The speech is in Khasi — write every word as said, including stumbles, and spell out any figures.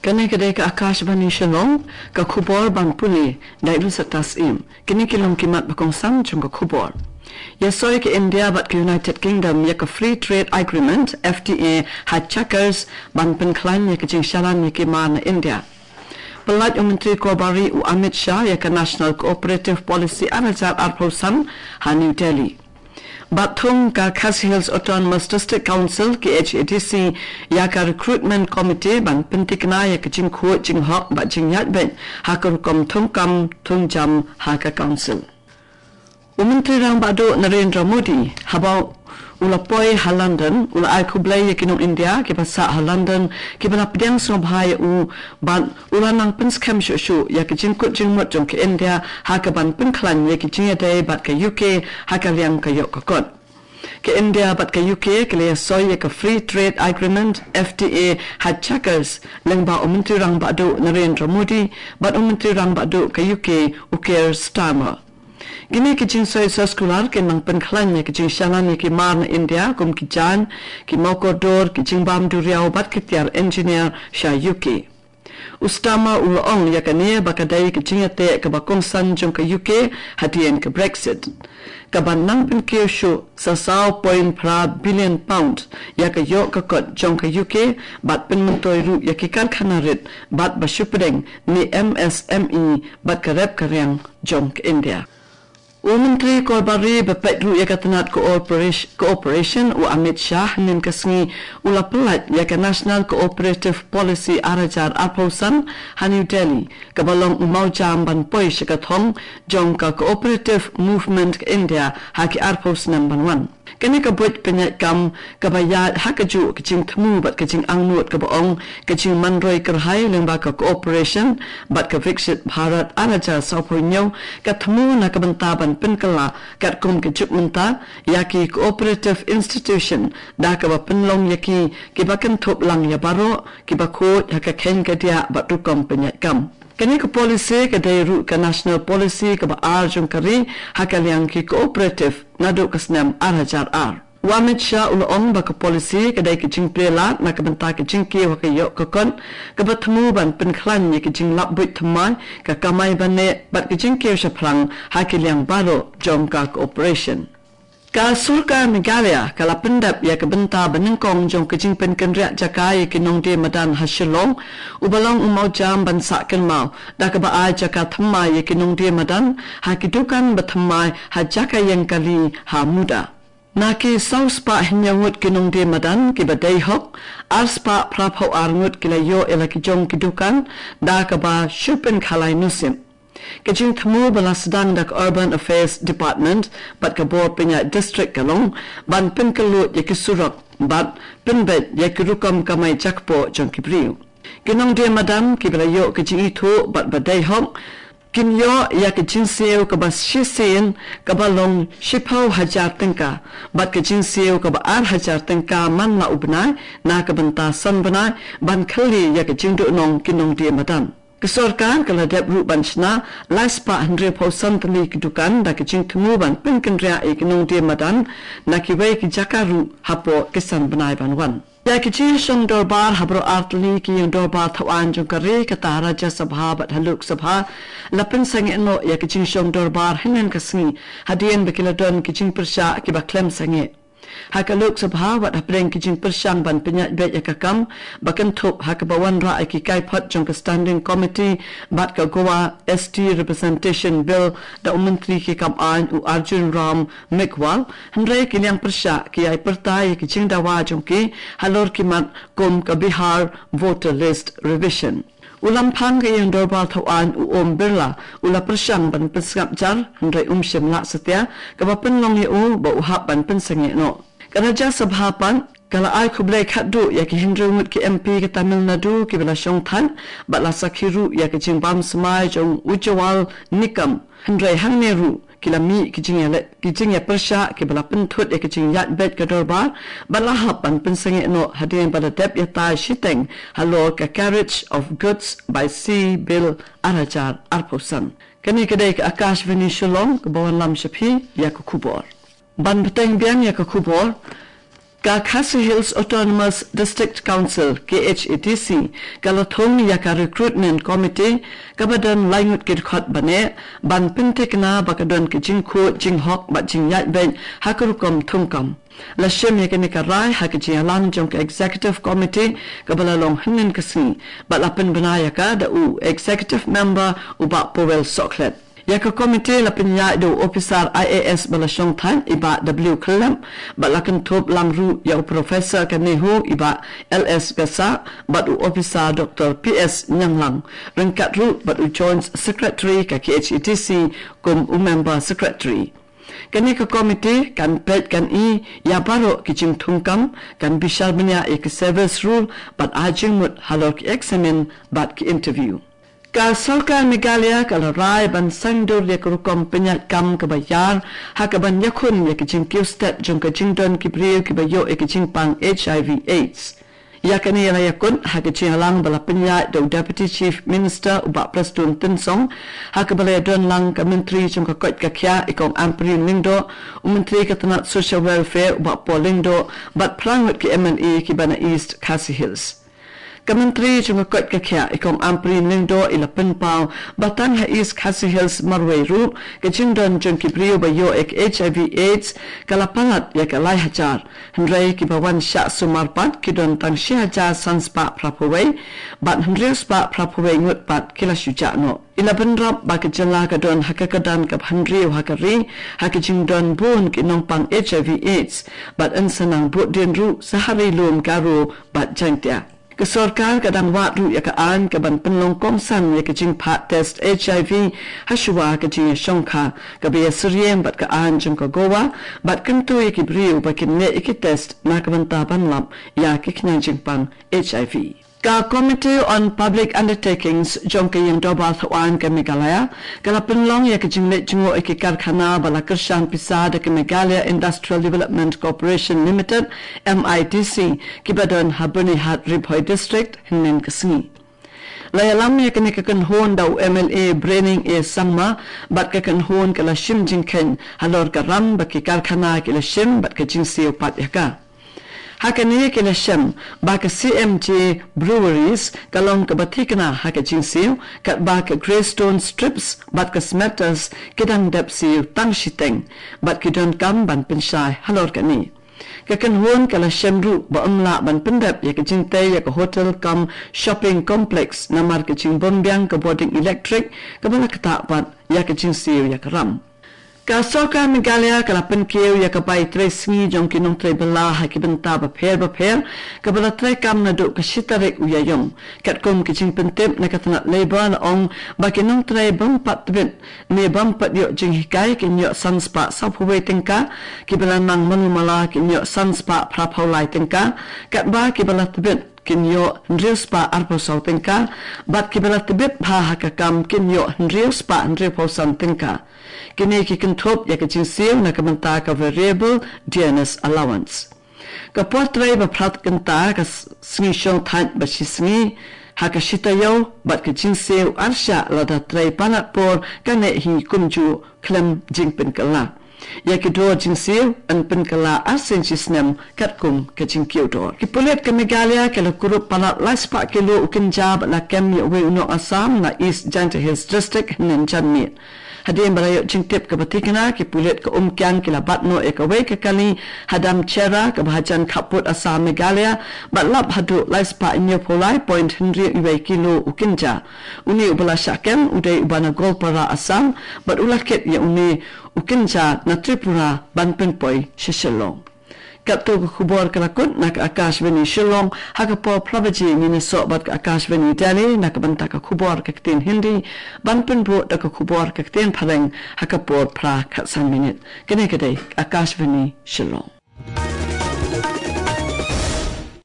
Kane ka dei ka Akashvani Shillong, ka khubor ban pule da i Lusat Tasim. Kine ki long ki mat ba kongsan jong ka khubor. Ïa soi ka India bad ka United Kingdom ïa ka Free Trade Agreement, F T A, ha Chequers, ban pynkhlaiñ ïa ka jingshalan ïa ki mar na India. Pyllait u Myntri Korbari u Amit Shah ïa ka National Cooperative Policy ar hajar arphew san ha New Delhi. Bad thung ka Khasi Hills Autonomous District Council, K H A D C, ïa ka Recruitment Committee ban pynthikna ïa ka jingkhuid jinghok bad jingïaid beit ha ka rukom thungkam thungjam ha ka Council. U Myntri Rangbah Duh Narendra Modi, haba u la poi ha London, u la ai khublei ïa ki nong India kiba sah ha London, kiba la pdiang sngewbha ïa u, bad u la nang pynskhem shuh shuh ïa ka jingkut jingmut jong ka India ha ka ban pynkhlaiñ ïa ki jingïadei bad ka U K ha ka liang ka ïoh ka kot. Ka India bad ka U K ki la ïa soi ïa ka Free Trade Agreement, F T A, ha Chequers, lyngba u Myntri Rangbah Duh Narendra Modi bad u Myntri Rangbah Duh ka U K u Keir Starmer. Kine ki jingsoi soskular kin nang pynkhlaiñ ïa ki jingshalan ïa ki mar na India kum ki jaiñ, ki mawkordor, ki jingbam duriaw bad ki tiar engineer sha U K. U Starmer u la ong ïa kane ba ka dei ka jingïateh kaba kongsan jong ka U K hadien ka Brexit, kaban nang pynkiew shuh sa saw point phra billion pound ïa ka ïoh ka kot jong ka U K bad pynmyntoi ruh ïa ki karkhana rit bad ba shu pdeng ne M S M E bad ka rep ka riang jong ka India. U Myntri Korbari ba peit ruh ïa ka tnat cooperation, cooperation u Amit Shah hynnin ka sngi u la pyllait ïa ka National Cooperative Policy ar hajar arphew san ha New Delhi, kaba long u mawjam ban poi sha ka thong jong ka Cooperative Movement ka India ha ki arphew snem ban wan. Kane ka buit pynïaid kam kaba ïaid ha kajuh ka jingthmu bad ka jingangnud kaba ong ka jingmanroi kyrhai lyngba ka cooperation bad ka Viksit Bharat ar hajar sawphew hynñiew ka thmu na ka bynta ban pynkylla katkum ka juk mynta ïa ki cooperative institution da kaba pynlong ïa ki kiba kynthup lang ïa baroh kiba khuid ha ka kheiñ ka diah bad rukom pynïaid kam. Kane ka policy ka dei ruh ka national policy kaba ar jong ka ri ha ka liang ki cooperative naduh ka snem ar hajar ar. U Amit Shah u la ong ba ka policy ka dei ka jingplie lad na ka bynta ka jingkiew ha ka ïoh ka kot kaba thmu ban pynkhlaiñ ïa ka jinglap buit thymmai, ka kamai baneh bad ka jingkiew shaphrang ha ki liang baroh jong ka cooperation. Ka sorkar Meghalaya ka la pyndep ïa ka bynta ba nyngkong jong ka jingpynkynriah jaka ïa ki nongdie madan ha Shillong, uba long u mawjam ban sah kynmaw da kaba ai jaka thymmai ïa ki nongdie madan ha ki dukan ba thymmai ha jaka ïeng kali ha Muda. Na ki saw spah hynñiew ngut ki nongdie madan kiba dei hok, ar spah phraphew ar ngut ki la ïoh ïa la ki jong ki dukan da kaba shu pynkhalai nusip. Ka jingthmu ba la sdang da ka Urban Affairs Department bad ka bor pynïaid district ka long ban pynkylluid ïa ki surok bad pynbeit ïa ki rukom kamai jakpoh jong ki briew. Ki nongdie madan kiba la ïoh ka jingithuh bad ba dei hok kin ïoh ïa ka jingsiew kaba shisien kaba long shiphew hajar tyngka bad ka jingsiew kaba ar hajar tyngka man la u bnai na ka bynta san bnai ban khyllie ïa ka jingduhnong ki nongdie madan. Ka sorkar ka la dep ruh ban shna lai spah hynriewphew san tylli ki dukan da ka jingthmu ban pynkynriah ïa ki nongdie madan na kiwei ki jaka ruh hapoh ki san bnai ban wan. Ïa ki jingshong dorbar ha baroh ar tylli ki ïing dorbar thaw aiñ jong ka ri, kata ha Rajya Sabha bad ha Lok Sabha, la pynsangeh noh ïa ki jingshong dorbar hynnin ka sngi hadien ba ki la don ki jingpyrshah kiba khlem sangeh. Ha ka Lok Sabha wat hapdeng ki jingpyrshang ban pynïaid beit ïa ka kam ba kynthup ha kaba wanrah ïa ki kaiphod jong ka Standing Committee bad ka Goa S T Representation Bill da u Myntri ki kam aiñ u Arjun Ram Meghwal, hynrei ki liang pyrshah ki ai pyrta ïa ki jingdawa jong ki halor ki mat kum ka Bihar Voter List Revision. U Lamphang ka ïing dorbar thaw aiñ u Om Birla u la pyrshang ban pynsngap jar, hynrei um shym lah satia kaba pynlong ïa u ba u hap ban pynsangeh noh. Ka Rajya Sabha pat ka la ai khublei khatduh ïa ki hynriew ngut ki M P ka Tamil Nadu kiba la shongthait bad la sakhi ruh ïa ka jingbam smai jong Ujjwal Nikam, hynrei hangne ruh ki la mih ki jingïaleh, ki jingïapyrshah kiba la pynthut ïa ka jingïaid beit ka dorbar bad la hap ban pynsangeh noh hadien ba la dep ïatai shiteng halor ka Carriage of Goods by Sea Bill ar hajar arphew san. Kane ka dei ka Akashvani Shillong kaba wanlam sha phi ïa ka khubor. Ban bteng biang ïa ka khubor, Ka Khasi Hills Autonomous District Council, K H A D C, ka la thung ïa ka Recruitment Committee, kaba don laingut ki dkhot bane, ban pynthikna ba ka don ki jingkhuid, jinghok, bad jingïaid beit, ha ka rukom thungkam. La shim ïa kane ka rai, ha ka jingïalang jong ka Executive Committee, kaba la long hynnin ka sngi, bad la pynbna ïa ka da u Executive Member u Bah Powell Sohkhlet. Ïa ka committee la pynïaid da u officer I A S ba la shong thait i Bah W Khyllem, bad la kynthup lang ruh ïa u Professor ka NEHU i Bah L S Gassah, bad u officer Doctor P S Ñianglang, ryngkat ruh bad u Joint Secretary ka K H A D C kum u Member Secretary. Kane ka committee kan peit kan i ïa baroh ki jingthungkam, kan bishar bniah ïa ki service rule, bad ai jingmut halor ki eksamin bad ki interview. Ka Sorkar Meghalaya ka la rai ban sangdur ïa ka rukom pynïaid kam kaba ïar, ha kaban ïakhun ïa ka jingkiew stet jong ka jingdon ki briew kiba ïoh ïa ka jingpang H I V AIDS. Ïa kane la ïakut ha ka jingïalang ba la pynïaid da u Deputy Chief Minister u Bah Prestone Tynsong, ha kaba la ïadon lang ka Myntri jong ka koit ka khiah i Kong Ampareen Lyngdoh, u Myntri ka tnat Social Welfare u Bah Paul Lyngdoh, bad phra ngut ki M L A kiba na East Khasi Hills. Ka Myntri jong ka koit ka khiah i Kong Ampareen Lyngdoh i la pynpaw ba tang ha East Khasi Hills marwei ruh, ka jingdon jong ki briew ba ïoh ïa ka H I V AIDS ka la palat ïa ka lai hajar. Hynrei kiba wan shah sumar pat ki don tang shi hajar san spah phra phew wei, bad hynriew spah phra phew wei ngut pat ki la shu jah noh. I la bynrap ba ka jylla ka don ha ka kyrdan kaba hynriew ha ka ri, ha ka jingdon bun ki nongpang H I V AIDS, bad yn sa nang bud dien ruh sha ha Ri Lum, Garo bad Jaiñtia. Ka sorkar ka dang wad ruh ïa ka aiñ kaban pynlong kongsan ïa ka jingphah test H I V, ha shuwa ka jingïashongkha, kaba ïasyriem bad ka aiñ jong ka Goa, bad kyntu ïa ki briew ba kin leh ïa ki test na ka bynta ban lap ïa ki khñiang jingpang H I V. Ka Committee on Public Undertakings jong ka Ïing Dorbar Thawaiñ ka Meghalaya, ka la pynlong ïa ka jingleit jngoh ïa ki karkhana ba la kyrshan pisa da ka Meghalaya Industrial Development Corporation Limited, M I D C, kiba don ha Byrnihat, Ri Bhoi District, hynnin ka sngi. La ïalam ïa kane ka kynhun da u M L A Brening A Sangma, bad ka kynhun ka la shim jingkheiñ halor ka ram ba ki karkhana ki la shim bad ka jingsiew pat ïa ka. Ha kane ki la shem ba ka C M J Breweries ka long kaba thikna ha ka jingsiew, katba ka Greystone Strips bad ka Smetters ki dang dep siew tang shiteng, bad ki donkam ban pynshai halor kane. Ka kynhun ka la shem ruh ba ym lah ban pyndep ïa ka jingtei ïa ka hotel cum shopping complex namar ka jingbymbiang ka bording elektrik kaba la ktah pat ïa ka jingsiew ïa ka ram. Ka Sorkar Meghalaya ka la pynkiew ïa ka bai trei sngi jong ki nongtrei bylla ha ki bynta bapher bapher, kaba la treikam naduh ka shi tarik u Ïaïong. Katkum ka jingpyntip na ka tnat Labour, la ong ba ki nongtrei bym pat tbit ne bym pat ïoh jinghikai kin ïoh san spah saw phew wei tyngka, kiba la nang malu mala kin ïoh san spah phra phew lai tyngka, katba kiba la tbit kin ïoh hynriew spah arphew saw tyngka, bad kiba la tbit bha ha ka kam kin ïoh hynriew spah hynriew phew san tyngka. Kine ki kynthup ïa ka jingsiew na ka bynta ka variable dearness allowance. Ka por trei ba phra kynta ka s-, sngi shong thait ba shi sngi ha ka shi taïew, bad ka jingsiew arshah lada trei palat por ka neh hi kumjuh khlem jingpynkylla. Ïa ki dor jingsiew yn pynkylla arsien shi snem katkum ka jingkiew dor. Ki pulit ka Meghalaya ki la kurup palat lai spah kilo u kynja bad la kem ïa uwei u nong Assam na East Jaintia Hills District hynnin janmiet. Hadien ba la ïoh jingtip kaba thikna, ki pulit ka Umkiang ki la bat noh ïa kawei ka kali ha Damcherra kaba hajan khappud Assam Meghalaya, bad lap haduh lai spah hynñiew phew lai point hynriew wei kilo u kynja. Une uba la shah kem u dei uba na Goalpara Assam, bad u la kit ïa une u kynja na Tripura ban pynpoi sha Shillong. Katto ka khubor ka la kut na ka Akashvani Shillong, ha ka por phra baje ngin ïasoh bad ka Akashvani Delhi na ka bynta ka khubor ka ktien Hindi, ban pynbud da ka khubor ka ktien Phareng ha ka por phra khatsan minit. Kane ka dei ka Akashvani Shillong.